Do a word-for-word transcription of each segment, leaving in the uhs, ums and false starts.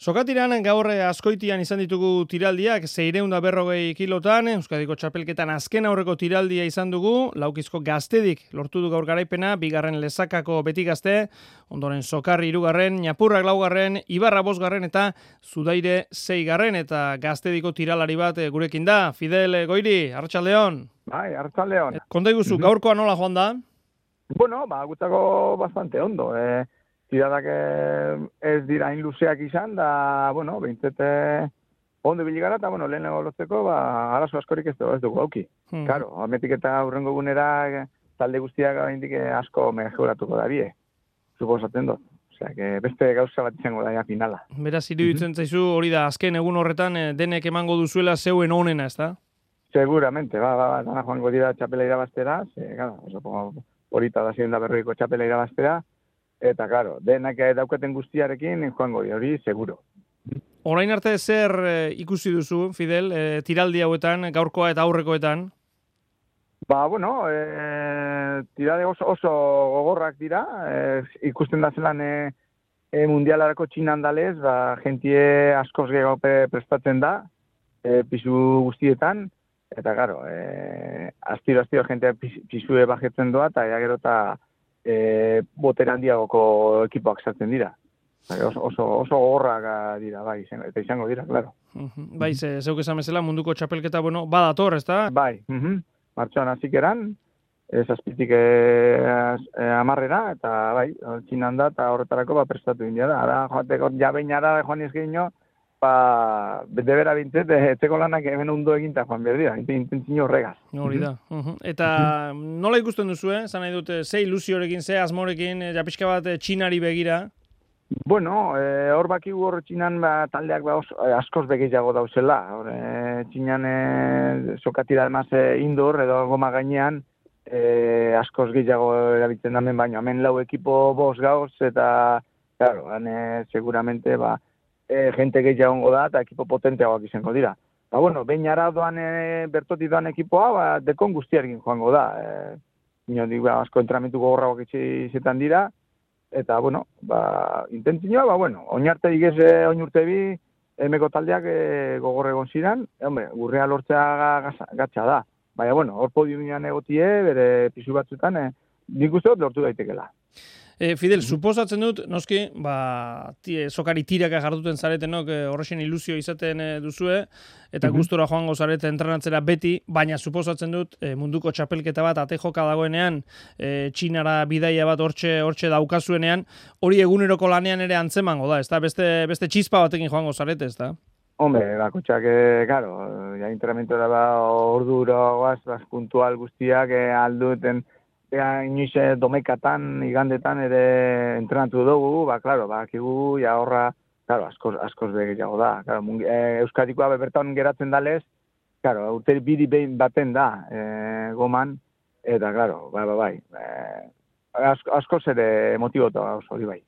Sokatiran gaur Azkoitian izan ditugu tiraldiak, seiehun eta berrogei kilotan, Euskadiko txapelketan azken aurreko tiraldia izan dugu, Laukizko Gaztedik lortu du gaur garaipena, bigarren Lezakako Beti Gazte, ondoren Sokarri hirugarren, Ñapurrak laugarren, Ibarra bosgarren eta Zudaire seigarren, eta Gaztediko tiralari bat gurekin da. Fidel Goiri, arratsaldeon. Bai, arratsaldeon. Konta iguzu, gaurkoa nola joan da? Bueno, ba, gutako bastante ondo, eh. Tiradak ez dira hain luzeak izan, da, bueno, behintzete ondo biligara, eta, bueno, lehen lortzeko, ba, arazo askorik ez dugu, ez dugu auki. Hmm. Claro, ametik eta hurrengo gunera, talde guztiak indik asko mejoratuko da bie, suposatzen dut. Osea, que beste gauza bat izango da ja finala. Beraz, iruditzen zaizu hori da, azken egun horretan denek emango duzuela zeuen onena, ez da? Seguramente, ba, ba, ba, dana joango dira txapela irabaztera, ze, gara, oso, horita da ziren da berroiko txapela irabaztera, eta, claro, denak daukaten guztiarekin joango di, hori, seguro. Orain arte zer e, ikusi duzu, Fidel, e, tiraldi hauetan, gaurkoa eta aurrekoetan? Ba, bueno, e, tirade oso, oso gogorrak dira, e, ikusten da zelan e, e, mundialarako txinan dalez, ba, jentie askoz gehiago prestatzen da, e, pisu guztietan, eta, claro, e, astiro-astiro jentea pisue bajetzen doa, eta ja gero eta E, botera handiagoko ekipoak sartzen dira. Oso, oso, oso gogorrak dira, bai, eta izango dira, claro. Uh-huh. Bai, ze, zeuk esan bezala munduko txapelketa, bueno, badator, ez da? Bai, uh-huh. Martxoan hazik eran, ez azpitik e, e, amarrera, eta bai, txinan da, eta horretarako ba, prestatu india da. Ara, joateko, jabeinara joan izgeino, ba, debera bintzet, etzeko lanak hemen ondo eginta joan behar dira, intentzio horregaz. Hori da. Uh-huh. Eta nola ikusten duzu, eh? Zan nahi dute, ze ilusiorekin, ze asmorekin, ja pixka bat txinari begira? Bueno, eh, hor bakigu hor txinan ba, taldeak ba, os, askoz begiago dauzela. Hor, eh, txinan eh, sokatira demaz eh, indoor edo goma gainean eh, askoz gehiago erabiltzen damen, baina hemen lau ekipo bos gauz, eta, claro, hane, seguramente, ba, E, gente gehiago ongo da, eta ekipo potenteagoak izango dira. Ba, bueno, behin ara doan, e, bertotik doan ekipoa, ba, dekon guztiarekin joango da. E, Inotik, ba, asko entramentu gogorragoak izetan dira, eta, bueno, ba, intentzioa, ba, bueno, oinarte digez, oin urte bi, emeko taldeak e, gogorre egon ziren, e, hombre, gurrea lortzea gatsa da. Baina, bueno, hor podiumian egotie, bere pisu batzutan, e, nik uste dut lortu daitekela. E, Fidel, suposatzen dut, noski, ba, tie, sokari tiraka jarduten zaretenok, e, horrexen ilusio izaten e, duzue, eta uh-huh. gustora joango zarete entrenatzera beti, baina suposatzen dut, e, munduko txapelketa bat ate joka dagoenean, e, txinara bidaia bat hortxe, hortxe daukazuenean, hori eguneroko lanean ere antzemango da, ezta? Beste, beste txispa batekin joango zarete, ezta? Hombre, bakotxak, eh, claro, ja interamentora ba, orduro, guaz, bas, puntual guztiak, eh, alduten, Ea, inoiz domekatan, igandetan ere entrenatu dugu, ba, klaro, ba, kigu, ja horra, klaro, askoz, askoz begeago da. Klaro, e, Euskadikoa bebertan geratzen dalez, klaro, urte bidi behin baten da, e, goman, eta, klaro, bai, bai, bai, e, asko, askoz ere motibota hori bai.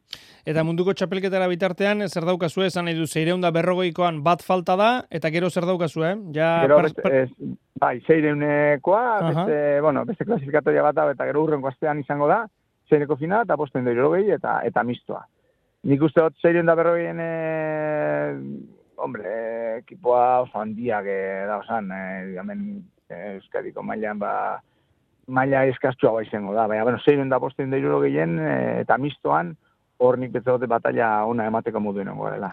Eta munduko txapelketara bitartean, zer daukazue, esan nahi du, seiehun eta berrogeikoan bat falta da, eta gero zer daukazue, eh? Ja, gero, per, per... ez, bai, seireunekoa, uh-huh. beste, bueno, beste klasifikatoria bat da, eta gero urrenko astean izango da, seireko final, eta posten da irrogei, eta, eta mistoa. Nik uste dut, seiehun eta berrogeien, e, hombre, ekipoa oso handiak e, da, osan, e, hemen Euskadiko mailan, ba, maila eskaztua ba izango da, baina, bueno, seiehun eta posten da irrogeien, e, eta mistoan, hor nik betzagote batalla ona emateko moduen ongo dela.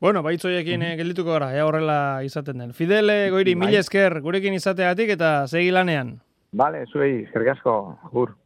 Bueno, baitzoiekin mm-hmm. geldituko gara, ja horrela izaten den. Fidel Goiri, mila esker, gurekin izateagatik eta segi lanean. Bale, zuei, eskerrik asko, agur.